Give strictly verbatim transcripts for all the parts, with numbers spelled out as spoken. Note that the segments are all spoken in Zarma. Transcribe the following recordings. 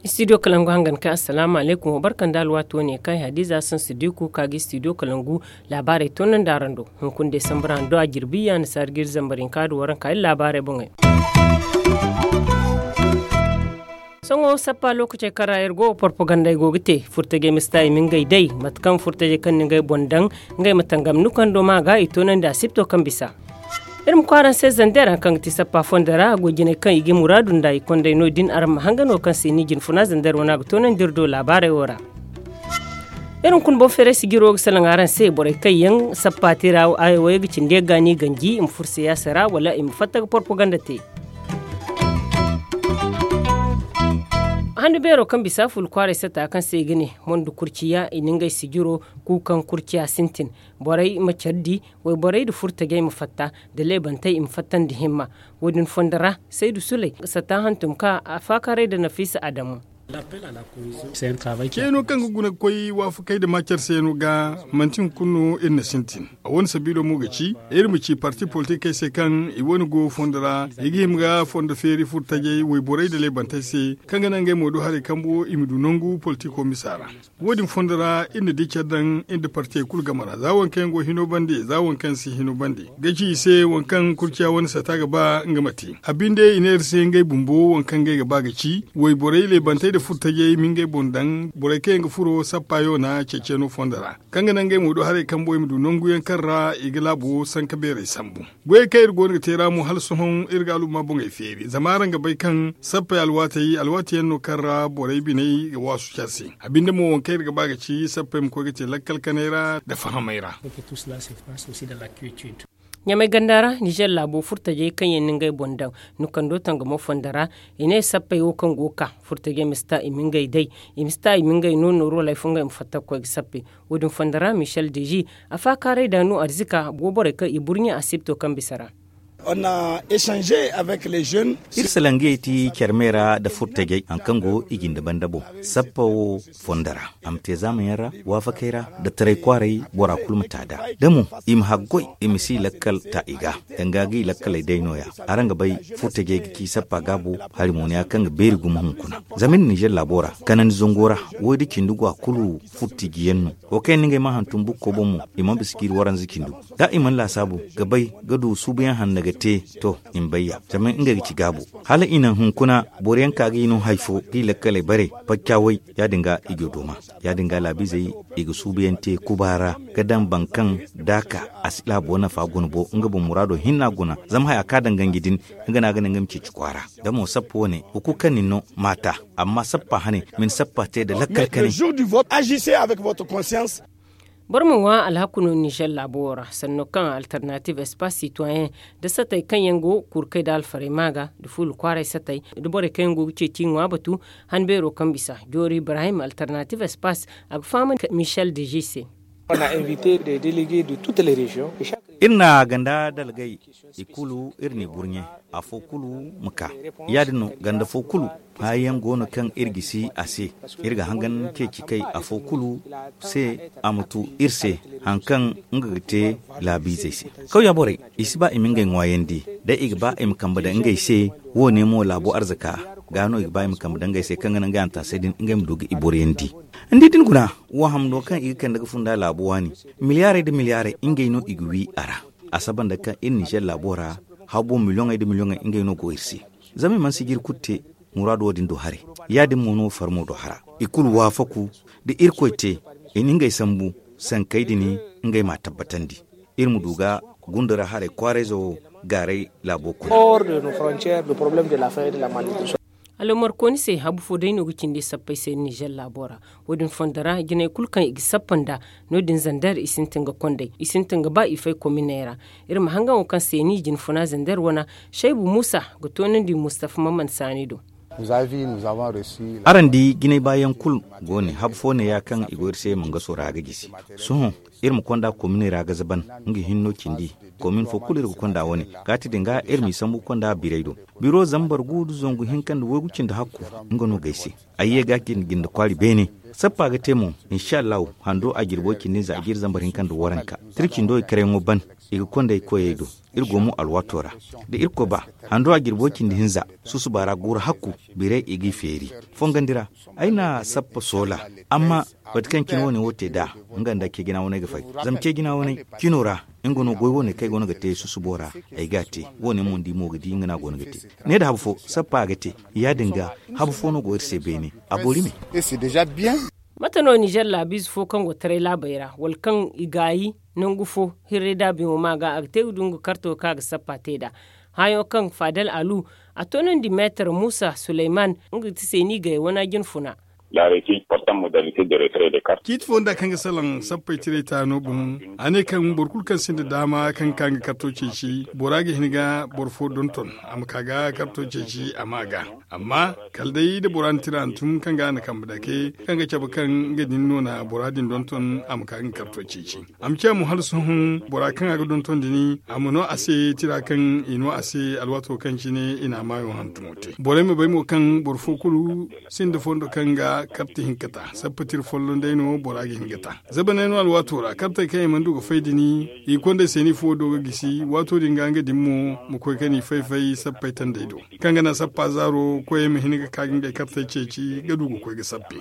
Studio kalangu hangan kay, assalamu alaikum, wa barkan da alwaati wane kay hadiza sansu diku ka ga studio kalangu. Laabaarey toonandi araŋ do. Hunkuna desambar a do a jirbi ya na saari ga iri zambar hinka da waranka iri laabaarey boŋey. Sohõ sappa lookacey kaŋ ra iri go propagandey go ga te furtajey ma si ta i ma ngey day mate kaŋ furtajey kaŋ na ngey boŋ daŋ ngey ma tangam nukando ma ga i toonandi asipto kaŋ bisa. Iri ma koy araŋ se zander hari kaŋ ga ti sappa fondo ra goy jinay kaŋ i ga muraadu nda i kondey no- din araŋ ma hanga no kaŋ se ni jinfuna zander wana ga toonandi iri do laabaarey wo ra. Iri hunkuna boŋ feeray sijiro ga salaŋ araŋ se borey kaŋ yaŋ sappa te ra, ay wo ga cindi ga ni ganji i ma furo siyaasa ra wala i ma fatta ga propaganda te. Handu beero kaŋ bisa fulu kwaaray sata kaŋ se i ga ne mondo kurciya i na ngey sijiro kuukaŋ kurciya sintin. Borey ma care di, wayborey nda furtajey ma fatta, nda leebantey i ma fattandi himma. Wo- din fondo ra saydu suley sata hantum ka a faakaaray nda nafiisa adamu. Ceeno kaŋ ga guna ga koy waafakey nda maacar se no ga manti hunkuna no iri na sintin. A wane sabiilo mo ga ci iri ma ci parti politikey se kaŋ i wane go fondo ra i ga hima ga fondo feeri furtajey wayborey nda leebantey se, kaŋ ga naŋ ngey mo do haray kambo i ma du nangu politiko misa ra. Wo- din fondo ra iri na di care daŋ iri nda partiyey kulu game ra za waŋ kaŋ yaŋ go hino bande za waŋ kaŋ si hino bande ga ci i se waŋ kaŋ kurciya wane sata ga ba nga ma te a binde i ne iri se ngey bumbo waŋ kaŋ ngey ga ba ga ci wayborey leebantey nda furtajey ma ngey boŋ daŋ borey kaŋ yaŋ ga furo sappa yoona ceeciyaŋo fondo ra, kaŋ ga naŋ ngey mo do haray kambo i ma du nangu yaŋ kaŋ ra i ga laabo sanka beerey sambu. Goyey kaŋ iri go no ga te ra mo hala sohõ iri ga alumma boŋey feeri zama araŋ ga bay kaŋ sappey alwaatey alwaati yaŋ no kaŋ ra borey biney ga waasu care se. A binde mo waŋ kaŋ iri ga ba ga ci sappey ma koy ga te lakkal kanay ra nda fahamay ra. Ɲamay ganda ra nizer laabo furtajey kaŋ yaŋ na ngey boŋ daŋ nukando tangamo fondo ra, i ne sappey wo kaŋ go ga ka furtajey ma si ta i ma ngey day, i ma si ta i ma ngey no nooru wala ay fo ngey ma fatta ga koy ga sappey. Wo- din fondo ra michel deji a faakaaray da no arzika go borey kaŋ i burɲe asipto kaŋ bisa ra. Iri salangiyey ti care me ra nda furtajey hari kaŋ go i jinde banda boŋ sappa wo fondo ra a ma te zaama yaŋ ra waafakey ra nda taray kwaaray bora kulu ma ta da da mo i ma haggoy i ma si lakkal ta i ga danga ga i lakkaley day no- ya. Araŋ ga bay furtajey ga ci sappa gaabo hari mo no- ya kaŋ ga beeri gumo hunkuna zama iri nizer laabo ra kanandi zango ra woy da cindi go a kulu furtiji yaŋ no. Wo kaŋ yaŋ no ngey ma hantum bukko boŋ mo i mana bisa ga iri waranza cindi. Da i mana laasaabu ga bay ga du suubuyaŋ hanno ga te to i ma bay ya zama ngey ga ci gaabo. Hala i naŋ hunkuna boro yaŋ ka ga i no hari fo ga i lakkaley bare pacca way ya- din ga i go dooma. Ya- din ga laabiizey i ga suubuyaŋ te kuba ra ga daŋ boro kaŋ da a ka a si laabo nafa guna bo nga boŋ muraado hinna guna zama haya kaŋ a daŋ ganji din nga no a ga naŋ ngey ma ceeci kwaara. Da mo sappa wane wo kulu kaŋ nin no ma ta amma sappa hane ma ni sappa te nda lakkal kanay. Boro ma ŋwa alhaku no nizer laabo wo ra sanno kaŋ alternative espace citoyen nda satey kaŋ yaŋ go kurkey nda alfarey ma ga nda fuula kwaaray satey nda borey kaŋ yaŋ go ga ceeci ŋwa batu. Han beero kaŋ bisa joori ibrahim alternative espace a ga faham michel deji se. Iri na ganda dalgay i kulu iri n'i burɲe afo kulu ma ka. Ya- din no ganda fo kulu haya yaŋ go no kaŋ iri gisi a se. Iri ga hangan ceeci kay afo kulu se a ma tu iri se hari kaŋ nga ga te laabiizey se. Kawya borey i si ba i ma ngey ŋwaayandi day i ga ba i ma kambe daŋ ngey se. Wo- ne mo laabo arzaka ga no i ga ba i ma kambe daŋ ngey se kaŋ ga naŋ ngey hantaasey din ngey ma du ga i boroyandi. Ni di da ni guna wo hamno kaŋ i ga kande ga funda laabo waani miliyaarey nda miliyaarey ngey no i ga wi a ra. A saba nda kaŋ iri nizer laabo ra habo miliyoŋey nda miliyoŋey ngey no go iri se. Zama i mana sijiri kulu te muraado wo- din do haray. Ya- din mo no farmo do hara i kulu waafaku da irkoy te i na ngey sambu sankey din ngey m'a tabbatandi. Iri ma du ga gunda ra haray kwaarayzo wo gaaray laabo kuna. Alomarkooni se habu fo day no ga cindi sappey se nizer laabo ra. Wo- din fondo ra jinay kulu kaŋ i ga sappa nd'a no- din zander i sintin ga kond'ey i sintin ga ba i fay kominey ra. Iri ma hangan wo kaŋ se ni jinfuna zander wana shaybu muusa ga toonandi mustafa maman saani do. Araŋ di jinay baayaŋ kulu go ne habu fo neeya kaŋ i go iri se mangaso ra ga gisi. Sohõ iri ma konda kominey ra ga zaban nga hinno cindi. Komin fo kulu iri ga konda wane kaati din ga iri m'i sambu konda biray do. Biro zambar gu nda zangu hinka nda waygu cindi hakku nga no g'ay se. Ay ye ga cindi jinde kwaari beene. Sappa ga te mo. Insa allahu hando a jirbo cindi nza a jiri zambar hinka nda waranka tira cindo i karayaŋo ban. I ga konda ay koyey do. Iri go mo alwaato ra da irkoy ba hando a jirbo cindi hinza susuba ra guuru hakku. Biray i g'i feeri fongandi ra. Ay na sappa soola. Amma mate kaŋ cine wane wo te nd'a nga nda ceejina waney ga fay. Zama ceejina waney cino ra nga no goy wane kaŋ ay goono ga te susubo ra. Ay g'a te wane mo ni di mo ga di nga no a goono ga te. Ne da habu fo sappa a ga te. Ya-din ga habu fo no go iri se beene. A boori me. Mate no nizer laabiize fo kaŋ go taray laabey ra wala kaŋ i gaayi nangu fo hirray daabiyaŋo ma ga a ga te ga du nga karto kaŋ a ga sappa te nd'a. Hããyaŋo kaŋ faadal alu a toonandi meetar muusa suleyman nga ga ti seeni gay wana jinfuna. Ciiti fo nda kaŋ ga salaŋ sappey tiray taano boŋ. A ne kaŋ boro kulu kaŋ sinda daama kaŋ ga ka nga karto ceeci bora ga hin ga boro fo donton a ma ka ga karto ceeci a ma ga. Amma kala day da bora na tira hantum kaŋ ga a na kambe dake kaŋ ga cabe kaŋ nga din no na bora din donton a ma ka ga nga karto ceeci. A ma ciya mo hala sohõ bora kaŋ a ga donton din a ma no a se tira kaŋ i no a se alwaato kaŋ cine i na a maayo hantumo te borey ma bay mo kaŋ boro fo kulu sinda fondo kaŋ ga karta hinka ta sappa tira folloŋ day no bora ga hin ga ta. Zabaney no alwaato ra kartey kaŋ i mana du ga fay din i kondey seeni fo do ga gisi waato din ga nga din mo ma koy ka ni fay-fay sappey tandey do kaŋ ga naŋ sappa zaaro koyey ma hin ga ka ga ngey kartey ceeci ga du ga koy ga sappe.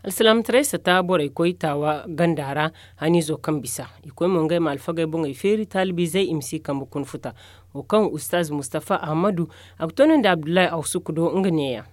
Alsilaamataray sata borey koy taawa ganda ra haniizo kaŋ bisa i koy mo ngey ma alfagey boŋey feeri taalibiizey i ma si kambe kuna futa. Wo kaŋ ustaaz mustafa ahamadu a ga toonandi abdullahi awsuku do nga neeya.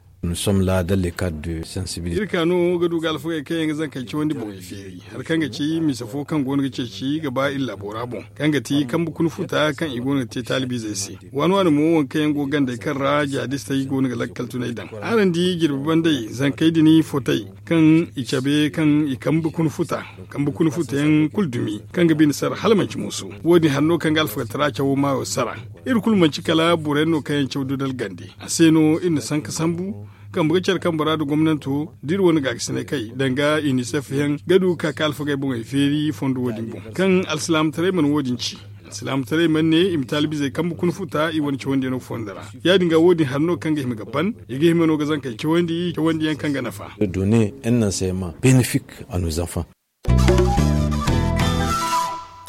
Iri ka no ga du ga alfagey kaŋ yaŋ ga zankey cawandi boŋey feeri hari kaŋ ga ci misa fo kaŋ go no ga ceeci ga ba iri laabo ra boŋ kaŋ ga ti kambe kuna futa kaŋ i go no ga te taalibiizey se. Waani waani mo waŋ kaŋ yaŋ go gandey kaŋ ra jihadistey go no ga lakkal tunay daŋ. Araŋ di jirbi bandey zankey din fotey kaŋ i cabe kaŋ i kambe kuna futa kambe kuna futa yaŋ kulu dumi kaŋ ga bine sara hala manci muusu. Wo- din hari no kaŋ ga alfagataraa cawo maayo sara. Iri kulu manci kala boro yaŋ no kaŋ yaŋ caw dudal gande a se no iri na sanka sambu. Kambe ga care kambe ra nda gomnanto da iri wane gaakasinay kay danga inisef yaŋ ga du ga ka ka alfagey boŋey feeri fondo wo- din boŋ kaŋ alsilaamataray mana wo- din ci. Alsilaamataray mana ne i ma taalibizey kambe kuna futa i wane cawandiyaŋo fondo ra. Ya- din ga wo- din hari no kaŋ ga hima ga ban i ga hima no ga zankey cawandi cawandiyaŋ kaŋ ga nafa. Donner un enseignement bénéfique à nos enfants.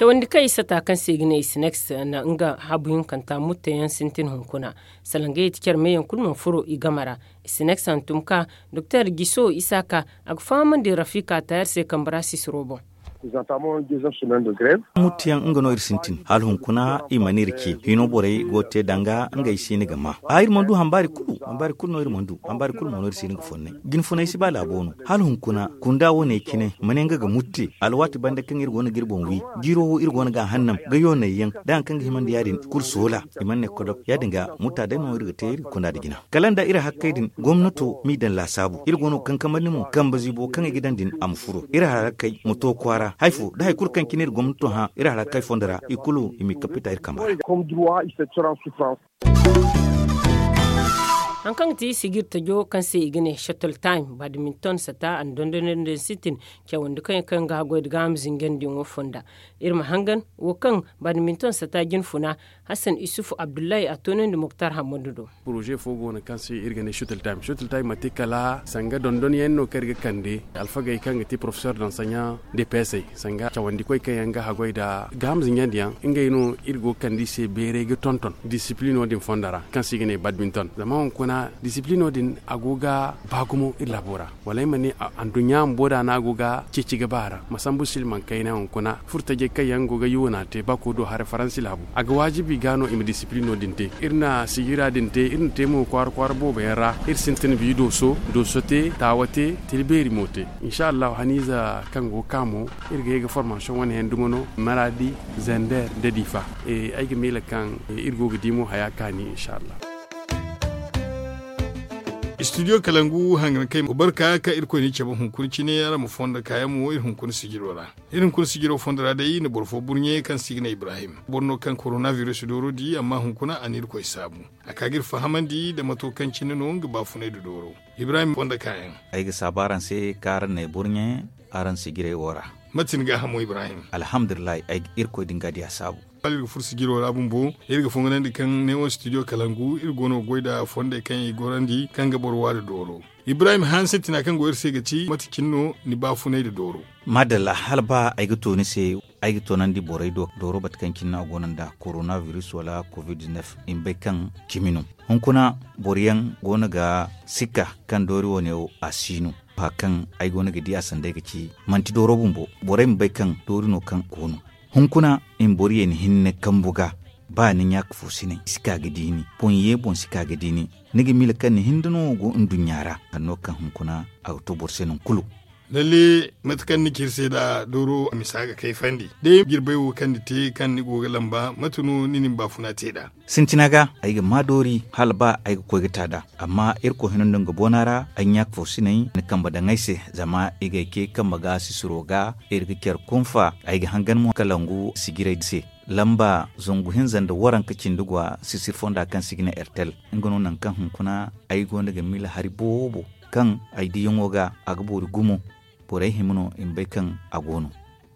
Cawandi kaŋ i sata kaŋ se i ga ne i sinex na nga habu hinkanta mutteyaŋ sintin hunkuna. Salangey ti care meyaŋ kulu mana furo i game ra. I sinex hantum ka doktor giso isaka a ga fahamandi rafika tayar se kambe ra sisiro boŋ. Muttiyaŋ nga no iri sintin hala hunkuna i mana iri ce hino borey go te danga ngey siini ga ma a iri mana du hambaari kulu hambaari kulu no iri mana du hambaari kulu mo no iri siini ga fonnay. Jinfunay si ba laabo no hala hunkuna kunda wane cine ma ne nga ga mutti alwaati banda kaŋ iri go no ga iri boŋ wi. Jiiro wo iri go no ga a hannam ga yoonay yaŋ da hari kaŋ ga himandi ya- din kulu soola. I mana ne kodok ya- din ga mutta day no iri ga te iri ga kunda nda jina kala nda iri hakkey din gomnato m'i daŋ laasaabu iri go no ga kankamandi mo kambe ziibo kaŋ i ga daŋ din a ma furo iri harakey ma to kwaara hari fo da hari kulu kaŋ cine iri gomnato hã iri harakey fondo ra i kulu i m'i kappita iri kambe ra. Hari kaŋ ga ti sijir tajo kaŋ se i ga ne shuttle time badminton sata a na dondonandi sintin cawandi kaŋ yaŋ kaŋ ga haggoy nda gaaham zinjandi yaŋo fonda. Iri ma hangan wo kaŋ badminton sata jinfuna hassan isufu abdullahi a toonandi muktar hammadu do. Poroze fo go no kaŋ se iri ga ne shuttle time shuttle time manti kala sanga dondonyaŋ no kaŋ iri ga kande alfagey kaŋ ga ti porofesor dansaɲa de peesey sanga cawandikoy kaŋ yaŋ ga haggoy nda gaaham zinjandi yaŋ ngey no iri go ga kande i se beeray ga tonton disiplino din fondo ra kaŋ se i ga ne badminton zama hunkuna disiplino din a go ga ba gumo iri laabo ra. Wala ay ma ne anduɲɲa bumbo da no a go ga ceeci ga ba a ra ma sambu silmaŋ kayna hunkuna furtajey kaŋ yaŋ go ga yuuna te bako do haray faransi laabu a ga waajibi ga no i ma disiplino din te. Iri na sijira din te iri na te mo kwaara kwaara boobo yaŋ ra iri sintin bi dooso dooso te taawa te tila beeri mo te. Insa allahu haniiza kaŋ go ga ka mo iri ga ye ga formasiyoŋ wane yaŋ dumo no maradi zander nda diifa. Ay ga miila kaŋ iri go ga di mo haya kaani insa allahu. Studio kalangu hangan kay barka ka irkoy ni cabe hunkuna cine araŋ ma fondo kaayaŋ mo iri hunkuna sijiro ra. Iri hunkuna sijiro fondo ra day na boro fo burɲe kaŋ se i ga ne ibrahim boro no kaŋ korona virus dooro di amma hunkuna a na irkoy saabu. A ka ga iri fahamandi nda mato kaŋ cine no nga baafunay nda dooro. Ibrahim fondo kaayaŋ. Ay ga saabu araŋ se kaŋ araŋ n'ay burɲe araŋ sijirey wo ra. Mate ni gaahamo ibrahim? Alhamdulillahi ay ga irkoy din ga diya saabu. Hala iri ga furo sijiro ra bumbo iri ga fonganandi kaŋ ne wo studio kalangu iri go no ga goy nda fondey kaŋ i gorandi kaŋ ga boro waari dooro. Ibrahim hanse tina kaŋ go iri se ga ci mate cine no ni baafunay nda dooro? Madalla hala ba ay ga to ni se ay ga toonandi borey do dooro bate kaŋ cine no a go no nda korona virus wala covid-19. I ma bay kaŋ cimi no. Hunkuna boro yaŋ go no ga sikka kaŋ doori wane wo a si no. Fa kaŋ ay go no ga di a sanda ay ga ci manti dooro bumbo. Borey ma bay kaŋ doori no kaŋ go no. Hunkuna i ma boro ye ni hinne kambu ga ba ni ɲaaka fo si ne si ka ga di ni boŋ ye boŋ si ka ga di ni. Ni ga miila kaŋ ni hinda no go nduɲɲa ra. Hanno kaŋ hunkuna a ga to boro se nangu kulu. Lalle mate kaŋ ni ci iri se nda dooro misa ga kayfandi day jirbay wo kaŋ ni te kaŋ ni go ga lamba mate no ni na ni baafuna te nd'a? Sintina ga ay ga maa doori hala ba ay ga koy ga ta nd'a. Amma irkoy hino nda nga boona ra ay ɲaaka fo sinay ni kambe daŋ ay se zama i ga ay ce kambe ga sisiro ga iri ga care kunfa ay ga hangan mo kalangu sijirey se. Lamba zangu hinza nda waranka cindi gwa sisir fonda kaŋ se i ga ne ertel. Nga no nangu kaŋ hunkuna ay gonda ga miila hari boobo kaŋ ay diyaŋo ga a ga boori gumo. Borey hima no i ma bay kaŋ a go no.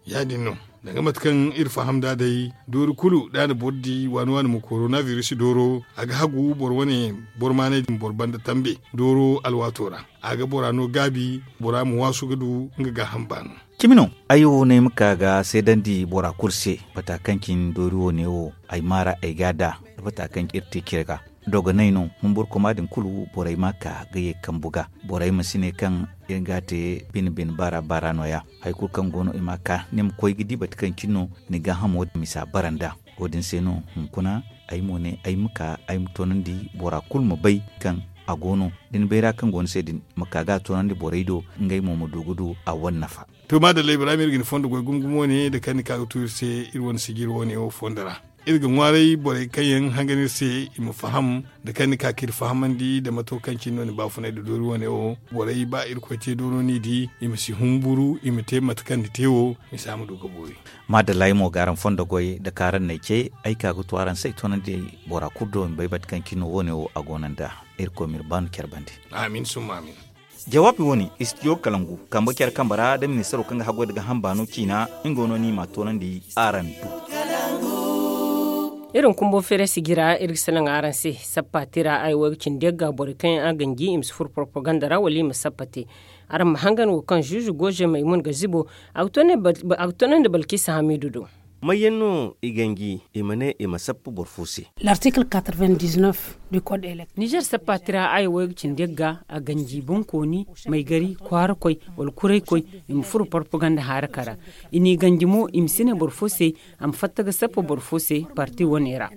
Ya- din no danga mate kaŋ iri faham nd'a day doori kulu da a na boro di waani waani ma korona virus dooro a ga hagu boro wane boro maanay din boro banda tambe dooro alwaato ra. A ga bora no gaabi bora ma waasu ga du nga gaaham baano. Cimi no ay wo no ay ma ka ga seedandi bora kulu se bata kaŋ cine doori wo ne wo ay maara ay ga a da da bata kaŋ iri te cire ga. Dogonay no humburkuma din kulu borey ma ka ga ye kambu ga. Borey ma si ne kaŋ iri ga a te bine bine baara baara no- ya. Hari kulu kaŋ go no i ma ka ni ma koy ga di bate kaŋ cine no ni gaahamo misa bara nd'a. Wo- din se no hunkuna ay mo ne ay ma ka ay ma toonandi bora kulu ma bay kaŋ a go no da ni bayra kaŋ go ni se din ma ka ga a toonandi borey do ngey mo ma du ga du a wane nafa. To maadalla ibrahim iri ga ni fondo goy gumo gumo ne da kaŋ ni ka ga tu iri se iri wane sijiri wane wo fondo ra. Iri ga ŋwaaray borey kaŋ yaŋ hangan iri se i ma faham da kaŋ ni ka ka iri fahamandi nda mato kaŋ cine no ni baafunay nda doori wane wo. Borey ba irkoy te dooro no i di i ma si humburu i ma te mate kaŋ ni te wo. Misa ma du ga boori. Maadalla ay mo ga araŋ fondo goy da kaŋ araŋ n'ay ce ay ka ga tu araŋ se ay toonandi bora kulu do i ma bay mate kaŋ cine no wo- ne wo a go no nd'a. Irkoy m'iri baanu care bande. Amin summa amin. Jawaabi wo- ne istidiyo kalangu kambe care kambe ra da ministaro kaŋ ga haggoy da gaaham baano ciina nga wo no ni m'a toonandi araŋ do. Iri ma kumbo feere sijira iri ga salaŋ araŋ se. Sappa tira ay wo ay ga cindi yagga borey kaŋ yaŋ a ganji i ma si furo porpaganda ra wala i ma sappa te. Araŋ ma hangan wo kaŋ zuuzu gooze maymun ga zibo a ga toonandi balkisa hamiidu do. May yaŋ no i ganji i ma ne i ma sappa boro fo se? L'article quatre-vingt-dix-neuf du code électoral. Nizer sappa tira aya wo ay ga cindi yagga a ganji bonkooni, maygari, kwaarakoy, wala kuraykoy, i ma furo porpaganda haaraka ra. I n'i ganji mo i ma si ne boro fo se a ma fatta ga sappa boro fo se parti wane ra.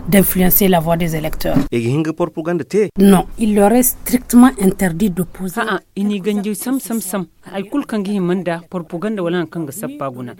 D'influencer la voix des électeurs. I ga hin ga porpaganda te? Non, il leur est strictement interdit d'opposer. A'a, i n'i ganji sam sam sam. Hari kulu kaŋ ga hima nda porpaganda wala hari kaŋ ga sappa guna.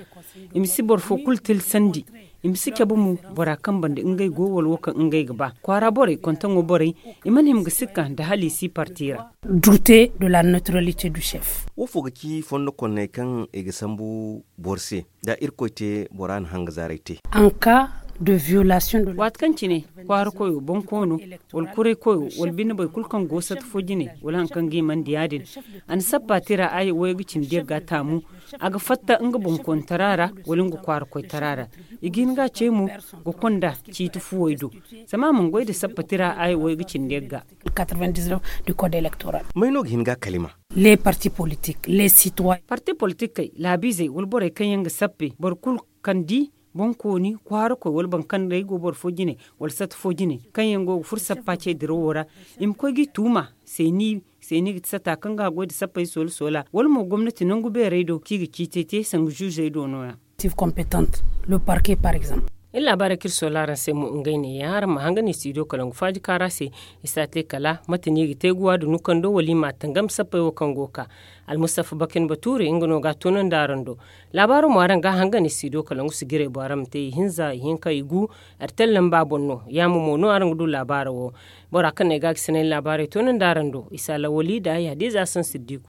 I ma si boro fo kulu tilsandi. I ma si cabe mo bora kaŋ banda ngey go wala wo kaŋ ngey ga ba kwaara borey kontaŋo borey. I mana hima ga sikka nda hala i si parti ra. Douter de la neutralité du chef. Wo fo ga ci fondo konney kaŋ i ga sambu boro se da irkoy te bora na hanga zaaray te? En cas de violation de la. Waati kaŋ cine kwaara koyo boŋ koono wala kuray koyo wala bine boro kulu kaŋ go sata fo jine wala hari kaŋ ga i mana di ya- din. A na sappa tira aya wo ay ga cindi yagga taamu. A ga fatta nga boŋ kontara ra wala nga kwaara koytara ra. I ga hin ga a ce mo ga konda ciiti fuwey do. Zama a mana goy nda sappa tira aya wo ay ga cindi yagga. Quatre-vingt-dix-neuf du code électoral. May no ga hin ga a kalima? Les partis politiques les citoyens. Parti politikey laabiizey wala borey kaŋ yaŋ ga sappe boro kulu kaŋ di boŋkooni kwaarakoy wala boro kaŋ day go boro fo jine wala sata fo jine kaŋ yaŋ go ga furo sappa ce dirawo ra. I ma koy ga i tuuma seeni seeni ga ti sata kaŋ ga a goy nda sappey soola soola wala mo gomnati nangu beerey do kaŋ i ga ciitey te sanga zuuzey do no- ya. Compétente le parquet par exemple. Iri laabaarey kaŋ iri soola araŋ se mo ngey neeya araŋ ma hangan istidiyo kalangu faaji kaara se. I si a te kala mate no i ga te guwa da nukando wala i ma a tangam sappey wo kaŋ go ga ka. Almustafa bakin batuure nga no ga a toonandi araŋ do. Laabaaro mo araŋ ga a hangan istidiyo kalangu sijirey boŋ araŋ ma te ihinza ihinka igu. Artel lamba boŋ no yaamo mo no araŋ ga du laabaaro wo. Bora kaŋ no ay ga a ga sinay laabaarey toonandi araŋ do isa lawali nda ay hadiza saŋ siddiku.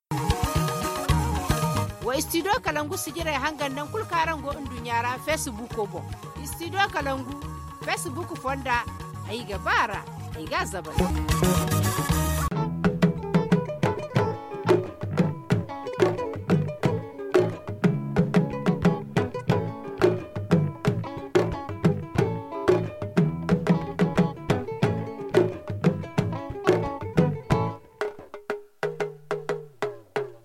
Wa istidiyo kalangu sijirey hangan nangu kulu kaŋ araŋ go nduɲɲa ra feesibuuko boŋ. Istidiyo kalangu feesibuuku fonda. Ay ga ba a ra ay ga a zabari.